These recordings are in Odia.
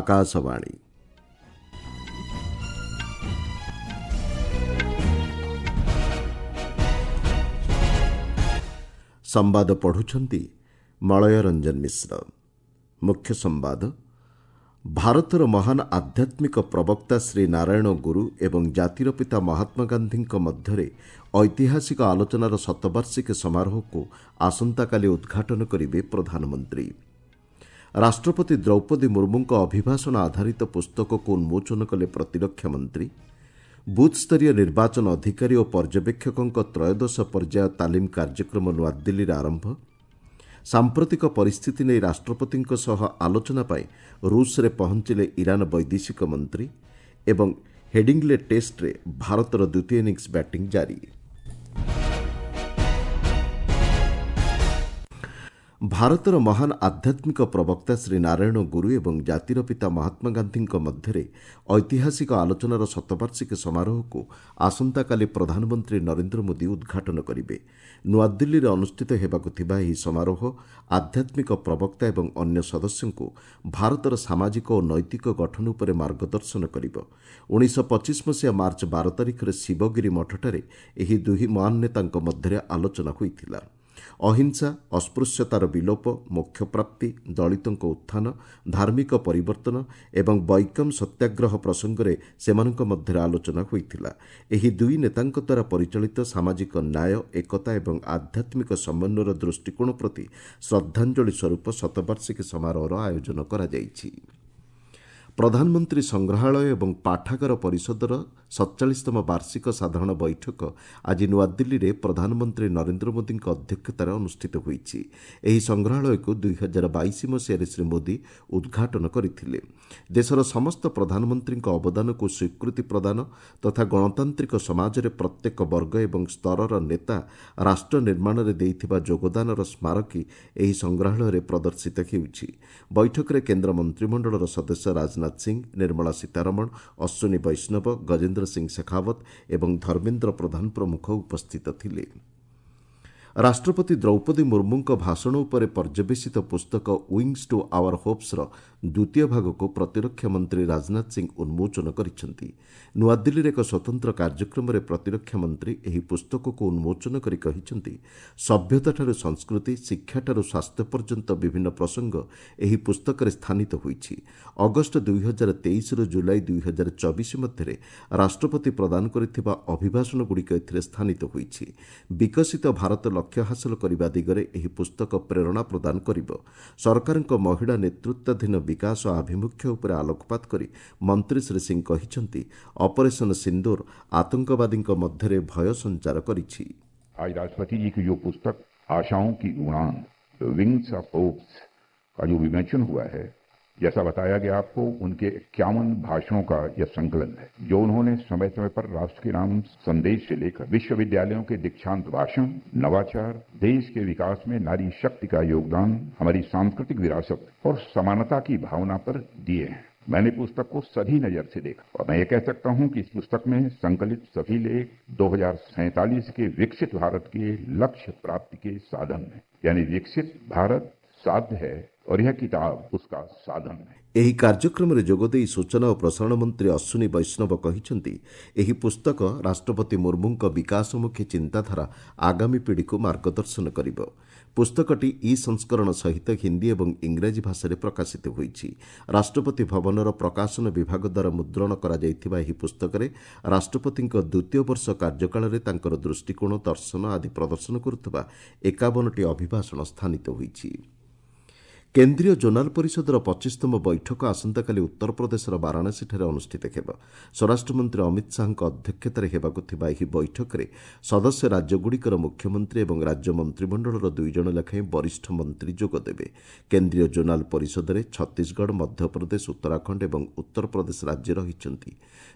ଆକାଶବାଣୀ। ସମ୍ବାଦ ପଢ଼ୁଛନ୍ତି ମଳୟ ରଞ୍ଜନ ମିଶ୍ର। ମୁଖ୍ୟ ସମ୍ବାଦ। ଭାରତର ମହାନ ଆଧ୍ୟାତ୍ମିକ ପ୍ରବକ୍ତା ଶ୍ରୀ ନାରାୟଣ ଗୁରୁ ଏବଂ ଜାତିର ପିତା ମହାତ୍ମା ଗାନ୍ଧୀଙ୍କ ମଧ୍ୟରେ ଐତିହାସିକ ଆଲୋଚନାର ଶତବାର୍ଷିକୀ ସମାରୋହକୁ ଆସନ୍ତାକାଲି ଉଦ୍ଘାଟନ କରିବେ ପ୍ରଧାନମନ୍ତ୍ରୀ। ରାଷ୍ଟ୍ରପତି ଦ୍ରୌପଦୀ ମୁର୍ମୁଙ୍କ ଅଭିଭାଷଣ ଆଧାରିତ ପୁସ୍ତକକୁ ଉନ୍ମୋଚନ କଲେ ପ୍ରତିରକ୍ଷା ମନ୍ତ୍ରୀ। ବୁଥ୍ସ୍ତରୀୟ ନିର୍ବାଚନ ଅଧିକାରୀ ଓ ପର୍ଯ୍ୟବେକ୍ଷକଙ୍କ ତ୍ରୟୋଦଶ ପର୍ଯ୍ୟାୟ ତାଲିମ କାର୍ଯ୍ୟକ୍ରମ ନୂଆଦିଲ୍ଲୀରେ ଆରମ୍ଭ। ସାମ୍ପ୍ରତିକ ପରିସ୍ଥିତି ନେଇ ରାଷ୍ଟ୍ରପତିଙ୍କ ସହ ଆଲୋଚନା ପାଇଁ ରୁଷରେ ପହଞ୍ଚିଲେ ଇରାନ ବୈଦେଶିକ ମନ୍ତ୍ରୀ। ଏବଂ ହେଡିଂଲେ ଟେଷ୍ଟରେ ଭାରତର ଦ୍ୱିତୀୟ ଇନିଂସ ବ୍ୟାଟିଂ ଜାରି। ଭାରତର ମହାନ ଆଧ୍ୟାତ୍ମିକ ପ୍ରବକ୍ତା ଶ୍ରୀ ନାରାୟଣ ଗୁରୁ ଏବଂ ଜାତିର ପିତା ମହାତ୍ମା ଗାନ୍ଧୀଙ୍କ ମଧ୍ୟରେ ଐତିହାସିକ ଆଲୋଚନାର ଶତବାର୍ଷିକୀ ସମାରୋହକୁ ଆସନ୍ତାକାଲି ପ୍ରଧାନମନ୍ତ୍ରୀ ନରେନ୍ଦ୍ର ମୋଦି ଉଦ୍ଘାଟନ କରିବେ। ନୂଆଦିଲ୍ଲୀରେ ଅନୁଷ୍ଠିତ ହେବାକୁ ଥିବା ଏହି ସମାରୋହ ଆଧ୍ୟାତ୍ମିକ ପ୍ରବକ୍ତା ଏବଂ ଅନ୍ୟ ସଦସ୍ୟଙ୍କୁ ଭାରତର ସାମାଜିକ ଓ ନୈତିକ ଗଠନ ଉପରେ ମାର୍ଗଦର୍ଶନ କରିବ। 1925 ମସିହା ମାର୍ଚ୍ଚ 12 ତାରିଖରେ ଶିବଗିରି ମଠଠାରେ ଏହି ଦୁଇ ମହାନ ନେତାଙ୍କ ମଧ୍ୟରେ ଆଲୋଚନା ହୋଇଥିଲା। ଅହିଂସା, ଅସ୍ପୃଶ୍ୟତାର ବିଲୋପ, ମୋକ୍ଷପ୍ରାପ୍ତି, ଦଳିତଙ୍କ ଉତ୍ଥାନ, ଧାର୍ମିକ ପରିବର୍ତ୍ତନ ଏବଂ ବୈକମ୍ ସତ୍ୟାଗ୍ରହ ପ୍ରସଙ୍ଗରେ ସେମାନଙ୍କ ମଧ୍ୟରେ ଆଲୋଚନା ହୋଇଥିଲା। ଏହି ଦୁଇ ନେତାଙ୍କ ଦ୍ୱାରା ପରିଚାଳିତ ସାମାଜିକ ନ୍ୟାୟ, ଏକତା ଏବଂ ଆଧ୍ୟାତ୍ମିକ ସମନ୍ୱୟର ଦୃଷ୍ଟିକୋଣ ପ୍ରତି ଶ୍ରଦ୍ଧାଞ୍ଜଳି ସ୍ୱରୂପ ଶତବାର୍ଷିକୀ ସମାରୋହର ଆୟୋଜନ କରାଯାଇଛି। ପ୍ରଧାନମନ୍ତ୍ରୀ ସଂଗ୍ରହାଳୟ ଏବଂ ପାଠାଗାର ପରିଷଦର 47ତମ ବାର୍ଷିକ ସାଧାରଣ ବୈଠକ ଆଜି ନୂଆଦିଲ୍ଲୀରେ ପ୍ରଧାନମନ୍ତ୍ରୀ ନରେନ୍ଦ୍ର ମୋଦିଙ୍କ ଅଧ୍ୟକ୍ଷତାରେ ଅନୁଷ୍ଠିତ ହୋଇଛି। ଏହି ସଂଗ୍ରହାଳୟକୁ 2022 ମସିହାରେ ଶ୍ରୀ ମୋଦି ଉଦ୍ଘାଟନ କରିଥିଲେ। ଦେଶର ସମସ୍ତ ପ୍ରଧାନମନ୍ତ୍ରୀଙ୍କ ଅବଦାନକୁ ସ୍ୱୀକୃତି ପ୍ରଦାନ ତଥା ଗଣତାନ୍ତ୍ରିକ ସମାଜରେ ପ୍ରତ୍ୟେକ ବର୍ଗ ଏବଂ ସ୍ତରର ନେତା ରାଷ୍ଟ୍ର ନିର୍ମାଣରେ ଦେଇଥିବା ଯୋଗଦାନର ସ୍ମାରକୀ ଏହି ସଂଗ୍ରହାଳୟରେ ପ୍ରଦର୍ଶିତ ହେଉଛି। ବୈଠକରେ କେନ୍ଦ୍ର ମନ୍ତ୍ରିମଣ୍ଡଳର ସଦସ୍ୟ ରାଜନାଥ ସିଂ, ନିର୍ମଳା ସୀତାରମଣ, ଅଶ୍ୱିନୀ ବୈଷ୍ଣବ, ଗଜେନ୍ଦ୍ର ସିଂ ଶେଖାଓ୍ୱତ ଏବଂ ଧର୍ମେନ୍ଦ୍ର ପ୍ରଧାନ ପ୍ରମୁଖ ଉପସ୍ଥିତ ଥିଲେ। ରାଷ୍ଟ୍ରପତି ଦ୍ରୌପଦୀ ମୁର୍ମୁଙ୍କ ଭାଷଣ ଉପରେ ପର୍ଯ୍ୟବେସିତ ପୁସ୍ତକ ୱିଙ୍ଗସ୍ ଟୁ ଆୱାର ହୋପ୍ସର ଦ୍ୱିତୀୟ ଭାଗକୁ ପ୍ରତିରକ୍ଷା ମନ୍ତ୍ରୀ ରାଜନାଥ ସିଂ ଉନ୍ମୋଚନ କରିଛନ୍ତି। ନୂଆଦିଲ୍ଲୀରେ ଏକ ସ୍ୱତନ୍ତ୍ର କାର୍ଯ୍ୟକ୍ରମରେ ପ୍ରତିରକ୍ଷା ମନ୍ତ୍ରୀ ଏହି ପୁସ୍ତକକୁ ଉନ୍ମୋଚନ କରି କହିଛନ୍ତି, ସଭ୍ୟତାଠାରୁ ସଂସ୍କୃତି, ଶିକ୍ଷାଠାରୁ ସ୍ୱାସ୍ଥ୍ୟ ପର୍ଯ୍ୟନ୍ତ ବିଭିନ୍ନ ପ୍ରସଙ୍ଗ ଏହି ପୁସ୍ତକରେ ସ୍ଥାନିତ ହୋଇଛି। ଅଗଷ୍ଟ 2023ରୁ ଜୁଲାଇ 2024 ମଧ୍ୟରେ ରାଷ୍ଟ୍ରପତି ପ୍ରଦାନ କରିଥିବା ଅଭିଭାଷଣଗୁଡ଼ିକ ଏଥିରେ ସ୍ଥାନିତ ହୋଇଛି। ବିକଶିତ ଭାରତ ଲକ୍ଷ୍ୟ ହାସଲ କରିବା ଦିଗରେ ଏହି ପୁସ୍ତକ ପ୍ରେରଣା ପ୍ରଦାନ କରିବ। ସରକାରଙ୍କ ମହିଳା ନେତୃତ୍ୱାଧୀନ ବିକାଶ ଆଭିମୁଖ୍ୟ ଉପରେ ଆଲୋକପାତ କରି ମନ୍ତ୍ରୀ ଶ୍ରୀ ସିଂ କହିଛନ୍ତି, ଅପରେସନ ସିନ୍ଦୁର ଆତଙ୍କବାଦୀଙ୍କ ମଧ୍ୟରେ ଭୟ ସଞ୍ଚାର କରିଛି। आज राष्ट्रपति जी की जो पुस्तक आशाओं की उड़ान, विंग्स ऑफ होप्स का जो विमोचन हुआ है, जैसा बताया गया आपको, उनके 51 भाषणों का यह संकलन है, जो उन्होंने समय समय पर राष्ट्र के नाम संदेश से लेकर विश्वविद्यालयों के दीक्षांत भाषण, नवाचार, देश के विकास में नारी शक्ति का योगदान, हमारी सांस्कृतिक विरासत और समानता की भावना पर दिए हैं। मैंने पुस्तक को सभी नजर से देखा और मैं ये कह सकता हूं कि इस पुस्तक में संकलित सभी लेख 2047 के विकसित भारत के लक्ष्य प्राप्ति के साधन हैं, यानी विकसित भारत साध्य है और यह किताब उसका साधन है। ଏହି କାର୍ଯ୍ୟକ୍ରମରେ ଯୋଗଦେଇ ସୂଚନା ଓ ପ୍ରସାରଣ ମନ୍ତ୍ରୀ ଅଶ୍ୱିନୀ ବୈଷ୍ଣବ କହିଛନ୍ତି, ଏହି ପୁସ୍ତକ ରାଷ୍ଟ୍ରପତି ମୁର୍ମୁଙ୍କ ବିକାଶମୁଖୀ ଚିନ୍ତାଧାରା ଆଗାମୀ ପିଢ଼ିକୁ ମାର୍ଗଦର୍ଶନ କରିବ। ପୁସ୍ତକଟି ଇ ସଂସ୍କରଣ ସହିତ ହିନ୍ଦୀ ଏବଂ ଇଂରାଜୀ ଭାଷାରେ ପ୍ରକାଶିତ ହୋଇଛି। ରାଷ୍ଟ୍ରପତି ଭବନର ପ୍ରକାଶନ ବିଭାଗ ଦ୍ୱାରା ମୁଦ୍ରଣ କରାଯାଇଥିବା ଏହି ପୁସ୍ତକରେ ରାଷ୍ଟ୍ରପତିଙ୍କ ଦ୍ୱିତୀୟ ବର୍ଷ କାର୍ଯ୍ୟକାଳରେ ତାଙ୍କର ଦୃଷ୍ଟିକୋଣ, ଦର୍ଶନ ଆଦି ପ୍ରଦର୍ଶନ କରୁଥିବା 51ଟି ଅଭିଭାଷଣ ସ୍ଥାନିତ ହୋଇଛି। କେନ୍ଦ୍ରୀୟ ଜୋନାଲ ପରିଷଦର 25ତମ ବୈଠକ ଆସନ୍ତାକାଲି ଉତ୍ତରପ୍ରଦେଶର ବାରାଣସୀଠାରେ ଅନୁଷ୍ଠିତ ହେବ। ସ୍ୱରାଷ୍ଟ୍ରମନ୍ତ୍ରୀ ଅମିତ ଶାହାଙ୍କ ଅଧ୍ୟକ୍ଷତାରେ ହେବାକୁ ଥିବା ଏହି ବୈଠକରେ ସଦସ୍ୟ ରାଜ୍ୟଗୁଡ଼ିକର ମୁଖ୍ୟମନ୍ତ୍ରୀ ଏବଂ ରାଜ୍ୟ ମନ୍ତ୍ରିମଣ୍ଡଳର 2 ଜଣ ଲେଖାଏଁ ବରିଷ୍ଠ ମନ୍ତ୍ରୀ ଯୋଗଦେବେ। କେନ୍ଦ୍ରୀୟ ଜୋନାଲ ପରିଷଦରେ ଛତିଶଗଡ଼, ମଧ୍ୟପ୍ରଦେଶ, ଉତ୍ତରାଖଣ୍ଡ ଏବଂ ଉତ୍ତରପ୍ରଦେଶ ରାଜ୍ୟ ରହିଛନ୍ତି।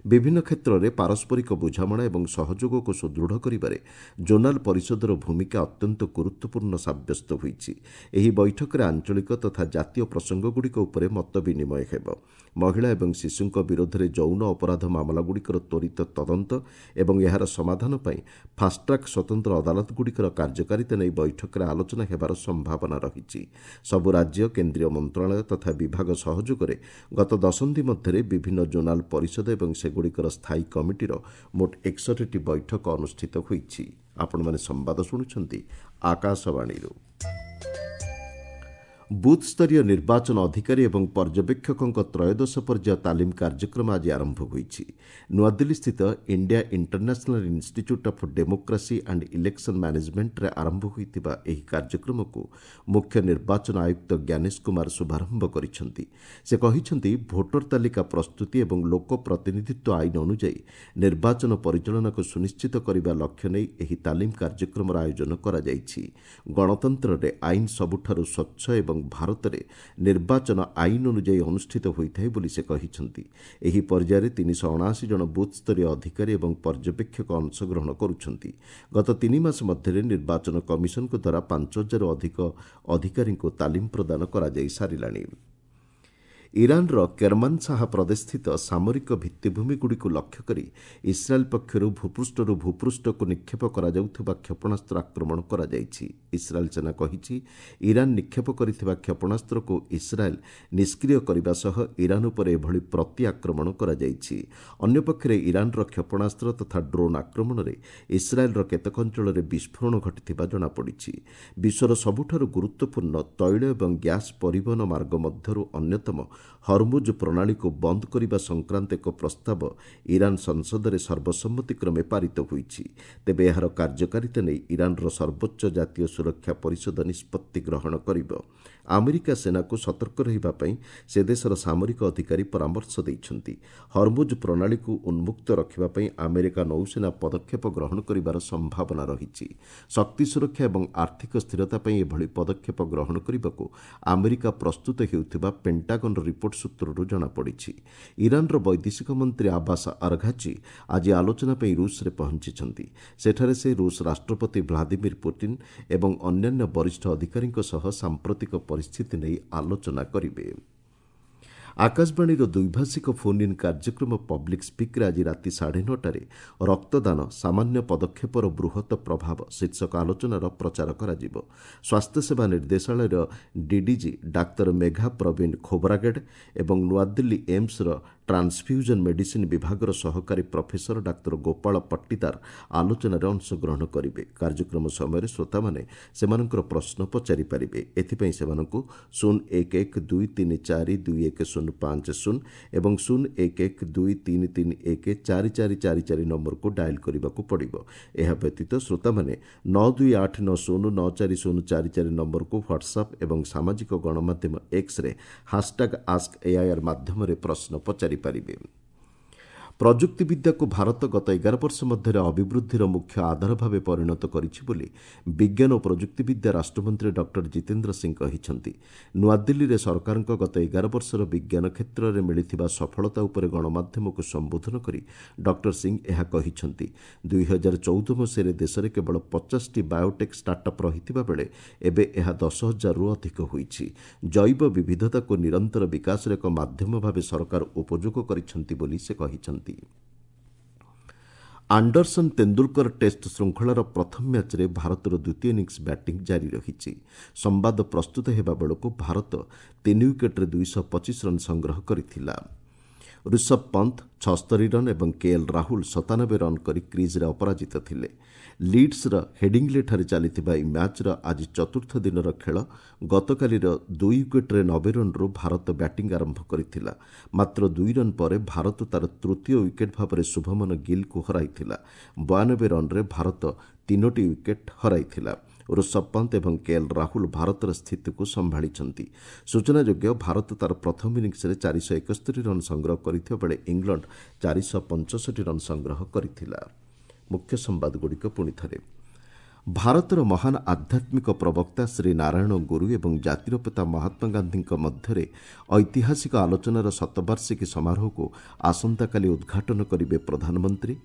ବିଭିନ୍ନ କ୍ଷେତ୍ରରେ ପାରସ୍ପରିକ ବୁଝାମଣା ଏବଂ ସହଯୋଗକୁ ସୁଦୃଢ଼ କରିବାରେ ଜୋନାଲ ପରିଷଦର ଭୂମିକା ଅତ୍ୟନ୍ତ ଗୁରୁତ୍ୱପୂର୍ଣ୍ଣ ସାବ୍ୟସ୍ତ ହୋଇଛି। ଏହି ବୈଠକରେ ଆଞ୍ଚଳିକ ତଥା ଜାତୀୟ ପ୍ରସଙ୍ଗଗୁଡ଼ିକ ଉପରେ ମତ ବିନିମୟ ହେବ। ମହିଳା ଏବଂ ଶିଶୁଙ୍କ ବିରୋଧରେ ଯୌନ ଅପରାଧ ମାମଲାଗୁଡ଼ିକର ତ୍ୱରିତ ତଦନ୍ତ ଏବଂ ଏହାର ସମାଧାନ ପାଇଁ ଫାଷ୍ଟ୍ରାକ୍ ସ୍ୱତନ୍ତ୍ର ଅଦାଲତଗୁଡ଼ିକର କାର୍ଯ୍ୟକାରିତା ନେଇ ବୈଠକରେ ଆଲୋଚନା ହେବାର ସମ୍ଭାବନା ରହିଛି। ସବୁ ରାଜ୍ୟ, କେନ୍ଦ୍ରୀୟ ମନ୍ତ୍ରଣାଳୟ ତଥା ବିଭାଗ ସହଯୋଗରେ ଗତ ଦଶନ୍ଧି ମଧ୍ୟରେ ବିଭିନ୍ନ ଜୋନାଲ ପରିଷଦ ଏବଂ ସେଗୁଡ଼ିକର ସ୍ଥାୟୀ କମିଟିର ମୋଟ 61ଟି ବୈଠକ ଅନୁଷ୍ଠିତ ହୋଇଛି। ଆପଣମାନେ ସମ୍ବାଦ ଶୁଣୁଛନ୍ତି ଆକାଶବାଣୀରୁ। ବୁଥ୍ସ୍ତରୀୟ ନିର୍ବାଚନ ଅଧିକାରୀ ଏବଂ ପର୍ଯ୍ୟବେକ୍ଷକଙ୍କ ତ୍ରୟୋଦଶ ପର୍ଯ୍ୟାୟ ତାଲିମ କାର୍ଯ୍ୟକ୍ରମ ଆଜି ଆରମ୍ଭ ହୋଇଛି। ନୂଆଦିଲ୍ଲୀସ୍ଥିତ India international institute of democracy and election ମ୍ୟାନେଜମେଣ୍ଟରେ ଆରମ୍ଭ ହୋଇଥିବା ଏହି କାର୍ଯ୍ୟକ୍ରମକୁ ମୁଖ୍ୟ ନିର୍ବାଚନ ଆୟୁକ୍ତ ଜ୍ଞାନେଶ କୁମାର ଶୁଭାରମ୍ଭ କରିଛନ୍ତି। ସେ କହିଛନ୍ତି, ଭୋଟର ତାଲିକା ପ୍ରସ୍ତୁତି ଏବଂ ଲୋକ ପ୍ରତିନିଧିତ୍ୱ ଆଇନ ଅନୁଯାୟୀ ନିର୍ବାଚନ ପରିଚାଳନାକୁ ସୁନିଶ୍ଚିତ କରିବା ଲକ୍ଷ୍ୟ ନେଇ ଏହି ତାଲିମ କାର୍ଯ୍ୟକ୍ରମର ଆୟୋଜନ କରାଯାଇଛି। ଗଣତନ୍ତ୍ରରେ ଆଇନ ସବୁଠାରୁ ସ୍ୱଚ୍ଛ ଏବଂ ଭାରତରେ ନିର୍ବାଚନ ଆଇନ ଅନୁଯାୟୀ ଅନୁଷ୍ଠିତ ହୋଇଥାଏ ବୋଲି ସେ କହିଛନ୍ତି। ଏହି ପର୍ଯ୍ୟାୟରେ 379 ଜଣ ବୁଥ୍ସ୍ତରୀୟ ଅଧିକାରୀ ଏବଂ ପର୍ଯ୍ୟବେକ୍ଷକ ଅଂଶଗ୍ରହଣ କରୁଛନ୍ତି। ଗତ 3 ମାସ ମଧ୍ୟରେ ନିର୍ବାଚନ କମିଶନଙ୍କ ଦ୍ୱାରା 5000ରୁ ଅଧିକ ଅଧିକାରୀଙ୍କୁ ତାଲିମ ପ୍ରଦାନ କରାଯାଇ ସାରିଲାଣି। ଇରାନର କେରମାନଶାହା ପ୍ରଦେଶସ୍ଥିତ ସାମରିକ ଭିତ୍ତିଭୂମିଗୁଡ଼ିକୁ ଲକ୍ଷ୍ୟ କରି ଇସ୍ରାଏଲ୍ ପକ୍ଷରୁ ଭୂପୃଷ୍ଠରୁ ଭୂପୃଷ୍ଠକୁ ନିକ୍ଷେପ କରାଯାଉଥିବା କ୍ଷେପଣାସ୍ତ୍ର ଆକ୍ରମଣ କରାଯାଇଛି। ଇସ୍ରାଏଲ୍ ସେନା କହିଛି, ଇରାନ ନିକ୍ଷେପ କରିଥିବା କ୍ଷେପଣାସ୍ତ୍ରକୁ ଇସ୍ରାଏଲ୍ ନିଷ୍କ୍ରିୟ କରିବା ସହ ଇରାନ ଉପରେ ଏଭଳି ପ୍ରତି ଆକ୍ରମଣ କରାଯାଇଛି। ଅନ୍ୟପକ୍ଷରେ ଇରାନର କ୍ଷେପଣାସ୍ତ୍ର ତଥା ଡ୍ରୋନ୍ ଆକ୍ରମଣରେ ଇସ୍ରାଏଲ୍ର କେତେକ ଅଞ୍ଚଳରେ ବିସ୍ଫୋରଣ ଘଟିଥିବା ଜଣାପଡ଼ିଛି। ବିଶ୍ୱର ସବୁଠାରୁ ଗୁରୁତ୍ୱପୂର୍ଣ୍ଣ ତୈଳ ଏବଂ ଗ୍ୟାସ୍ ପରିବହନ ମାର୍ଗ ମଧ୍ୟରୁ ଅନ୍ୟତମ ହରମୁଜ ପ୍ରଣାଳୀକୁ ବନ୍ଦ କରିବା ସଂକ୍ରାନ୍ତ ଏକ ପ୍ରସ୍ତାବ ଇରାନ ସଂସଦରେ ସର୍ବସମ୍ମତିକ୍ରମେ ପାରିତ ହୋଇଛି। ତେବେ ଏହାର କାର୍ଯ୍ୟକାରିତା ନେଇ ଇରାନର ସର୍ବୋଚ୍ଚ ଜାତୀୟ ସୁରକ୍ଷା ପରିଷଦ ନିଷ୍ପତ୍ତି ଗ୍ରହଣ କରିବ। ଆମେରିକା ସେନାକୁ ସତର୍କ ରହିବା ପାଇଁ ସେ ଦେଶର ସାମରିକ ଅଧିକାରୀ ପରାମର୍ଶ ଦେଇଛନ୍ତି। ହରମୁଜ ପ୍ରଣାଳୀକୁ ଉନ୍ମୁକ୍ତ ରଖିବା ପାଇଁ ଆମେରିକା ନୌସେନା ପଦକ୍ଷେପ ଗ୍ରହଣ କରିବାର ସମ୍ଭାବନା ରହିଛି। ଶକ୍ତି ସୁରକ୍ଷା ଏବଂ ଆର୍ଥିକ ସ୍ଥିରତା ପାଇଁ ଏଭଳି ପଦକ୍ଷେପ ଗ୍ରହଣ କରିବାକୁ ଆମେରିକା ପ୍ରସ୍ତୁତ ହେଉଥିବା ପେଣ୍ଟାଗନର ରିପୋର୍ଟ ସୂତ୍ରରୁ ଜଣାପଡ଼ିଛି। ଇରାନର ବୈଦେଶିକ ମନ୍ତ୍ରୀ ଆବାସ ଆରଘାଚି ଆଜି ଆଲୋଚନା ପାଇଁ ରୁଷରେ ପହଞ୍ଚିଛନ୍ତି। ସେଠାରେ ସେ ରୁଷ ରାଷ୍ଟ୍ରପତି ଭ୍ଲାଦିମିର ପୁଟିନ ଏବଂ ଅନ୍ୟାନ୍ୟ ବରିଷ୍ଠ ଅଧିକାରୀଙ୍କ ସହ ସାମ୍ପ୍ରତିକ ପରିସ୍ଥିତି ନେଇ ଆଲୋଚନା କରିବେ। ଆକାଶବାଣୀର ଦ୍ୱିଭାଷିକ ଫୋନ୍ ଇନ୍ କାର୍ଯ୍ୟକ୍ରମ ପବ୍ଲିକ୍ ସ୍ପିକ୍ରେ ଆଜି ରାତି 9:30ରେ ରକ୍ତଦାନ ସାମାନ୍ୟ ପଦକ୍ଷେପର ବୃହତ ପ୍ରଭାବ ଶୀର୍ଷକ ଆଲୋଚନାର ପ୍ରଚାର କରାଯିବ। ସ୍ୱାସ୍ଥ୍ୟସେବା ନିର୍ଦ୍ଦେଶାଳୟର ଡିଡିଜି ଡାକ୍ତର ମେଘା ପ୍ରବୀଣ ଖୋବରାଗେଡ୍ ଏବଂ ନୂଆଦିଲ୍ଲୀ ଏମ୍ସର ଟ୍ରାନ୍ସଫ୍ୟୁଜନ୍ ମେଡିସିନ୍ ବିଭାଗର ସହକାରୀ ପ୍ରଫେସର ଡାକ୍ତର ଗୋପାଳ ପଟ୍ଟିଦାର ଆଲୋଚନାରେ ଅଂଶଗ୍ରହଣ କରିବେ। କାର୍ଯ୍ୟକ୍ରମ ସମୟରେ ଶ୍ରୋତାମାନେ ସେମାନଙ୍କର ପ୍ରଶ୍ନ ପଚାରିପାରିବେ। ଏଥିପାଇଁ ସେମାନଙ୍କୁ 0 1 1 2 3 4 2 1 0 5 0 ଏବଂ 0 1 1 2 3 3 1 4 4 4 4 ନମ୍ବରକୁ ଡାଏଲ୍ କରିବାକୁ ପଡ଼ିବ। ଏହା ବ୍ୟତୀତ ଶ୍ରୋତାମାନେ 9 2 8 9 0 9 4 0 4 4 ନମ୍ବରକୁ ହ୍ୱାଟ୍ସଆପ୍ ଏବଂ ସାମାଜିକ ଗଣମାଧ୍ୟମ ଏକ୍ସରେ ହାସ୍ଟାଗ୍ ଆସ୍କ ଏଆଇଆର୍ ମାଧ୍ୟମରେ ପ୍ରଶ୍ନ ପଚାରିପାରିବେ। ପ୍ରଯୁକ୍ତିବିଦ୍ୟାକୁ ଭାରତ ଗତ 11 ବର୍ଷ ମଧ୍ୟରେ ଅଭିବୃଦ୍ଧିର ମୁଖ୍ୟ ଆଧାର ଭାବେ ପରିଣତ କରିଛି ବୋଲି ବିଜ୍ଞାନ ଓ ପ୍ରଯୁକ୍ତିବିଦ୍ୟା ରାଷ୍ଟ୍ରମନ୍ତ୍ରୀ ଡକ୍ଟର ଜିତେନ୍ଦ୍ର ସିଂ କହିଛନ୍ତି। ନୂଆଦିଲ୍ଲୀରେ ସରକାରଙ୍କ ଗତ 11 ବର୍ଷର ବିଜ୍ଞାନ କ୍ଷେତ୍ରରେ ମିଳିଥିବା ସଫଳତା ଉପରେ ଗଣମାଧ୍ୟମକୁ ସମ୍ବୋଧନ କରି ଡକ୍ଟର ସିଂ ଏହା କହିଛନ୍ତି। 2014 ମସିହାରେ ଦେଶରେ କେବଳ 50ଟି ବାୟୋଟେକ୍ ଷ୍ଟାର୍ଟଅପ୍ ରହିଥିବା ବେଳେ ଏବେ ଏହା 10,000ରୁ ଅଧିକ ହୋଇଛି। ଜୈବ ବିବିଧତାକୁ ନିରନ୍ତର ବିକାଶର ଏକ ମାଧ୍ୟମ ଭାବେ ସରକାର ଉପଯୋଗ କରିଛନ୍ତି ବୋଲି ସେ କହିଛନ୍ତି। ଆଣ୍ଡରସନ୍ ତେନ୍ଦୁଲକର ଟେଷ୍ଟ ଶୃଙ୍ଖଳାର ପ୍ରଥମ ମ୍ୟାଚ୍ରେ ଭାରତର ଦ୍ୱିତୀୟ ଇନିଂସ ବ୍ୟାଟିଂ ଜାରି ରହିଛି। ସମ୍ବାଦ ପ୍ରସ୍ତୁତ ହେବା ବେଳକୁ ଭାରତ 3 ୱିକେଟ୍ରେ 225 ରନ୍ ସଂଗ୍ରହ କରିଥିଲା। ଋଷଭ ପନ୍ଥ 76 ରନ୍ ଏବଂ କେଏଲ୍ ରାହୁଲ 97 ରନ୍ କରି କ୍ରିଜ୍ରେ ଅପରାଜିତ ଥିଲେ। ଲିଡ୍ସର ହେଡିଂଲେଠାରେ ଚାଲିଥିବା ଏହି ମ୍ୟାଚ୍ର ଆଜି ଚତୁର୍ଥ ଦିନର ଖେଳ। ଗତକାଲିର 2 ୱିକେଟ୍ରେ 90 ରନ୍ରୁ ଭାରତ ବ୍ୟାଟିଂ ଆରମ୍ଭ କରିଥିଲା। ମାତ୍ର 2 ରନ୍ ପରେ ଭାରତ ତା'ର ତୃତୀୟ ୱିକେଟ୍ ଭାବରେ ଶୁଭମନ ଗିଲ୍କୁ ହରାଇଥିଲା। 92 ରନ୍ରେ ଭାରତ 3ଟି ୱିକେଟ୍ ହରାଇଥିଲା। ଋଷଭ ପନ୍ତ ଏବଂ କେଏଲ୍ ରାହୁଲ ଭାରତର ସ୍ଥିତିକୁ ସମ୍ଭାଳିଛନ୍ତି। ସୂଚନାଯୋଗ୍ୟ, ଭାରତ ତା'ର ପ୍ରଥମ ଇନିଂସରେ 471 ରନ୍ ସଂଗ୍ରହ କରିଥିବା ବେଳେ ଇଂଲଣ୍ଡ 465 ରନ୍ ସଂଗ୍ରହ କରିଥିଲା। ମୁଖ୍ୟ ସମ୍ବାଦଗୁଡ଼ିକ ପୁଣି ଥରେ। ଭାରତର ମହାନ ଆଧ୍ୟାତ୍ମିକ ପ୍ରବକ୍ତା ଶ୍ରୀ ନାରାୟଣ ଗୁରୁ ଏବଂ ଜାତିର ପିତା ମହାତ୍ମା ଗାନ୍ଧୀଙ୍କ ମଧ୍ୟରେ ଐତିହାସିକ ଆଲୋଚନାର ଶତବାର୍ଷିକୀ ସମାରୋହକୁ ଆସନ୍ତାକାଲି ଉଦ୍ଘାଟନ କରିବେ ପ୍ରଧାନମନ୍ତ୍ରୀ।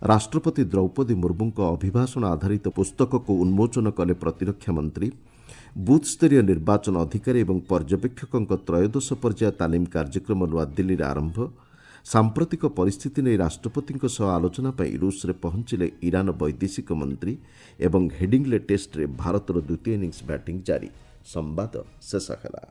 ରାଷ୍ଟ୍ରପତି ଦ୍ରୌପଦୀ ମୁର୍ମୁଙ୍କ ଅଭିଭାଷଣ ଆଧାରିତ ପୁସ୍ତକକୁ ଉନ୍ମୋଚନ କଲେ ପ୍ରତିରକ୍ଷା ମନ୍ତ୍ରୀ। ବୁଥ୍ସ୍ତରୀୟ ନିର୍ବାଚନ ଅଧିକାରୀ ଏବଂ ପର୍ଯ୍ୟବେକ୍ଷକଙ୍କ ତ୍ରୟୋଦଶ ପର୍ଯ୍ୟାୟ ତାଲିମ କାର୍ଯ୍ୟକ୍ରମ ନୂଆଦିଲ୍ଲୀରେ ଆରମ୍ଭ। ସାମ୍ପ୍ରତିକ ପରିସ୍ଥିତି ନେଇ ରାଷ୍ଟ୍ରପତିଙ୍କ ସହ ଆଲୋଚନା ପାଇଁ ରୁଷରେ ପହଞ୍ଚିଲେ ଇରାନ ବୈଦେଶିକ ମନ୍ତ୍ରୀ ଏବଂ ହେଡିଂଲେ ଟେଷ୍ଟରେ ଭାରତର ଦ୍ୱିତୀୟ ଇନିଂସ ବ୍ୟାଟିଂ ଜାରି। ସମ୍ବାଦ ଶେଷ ହେଲା।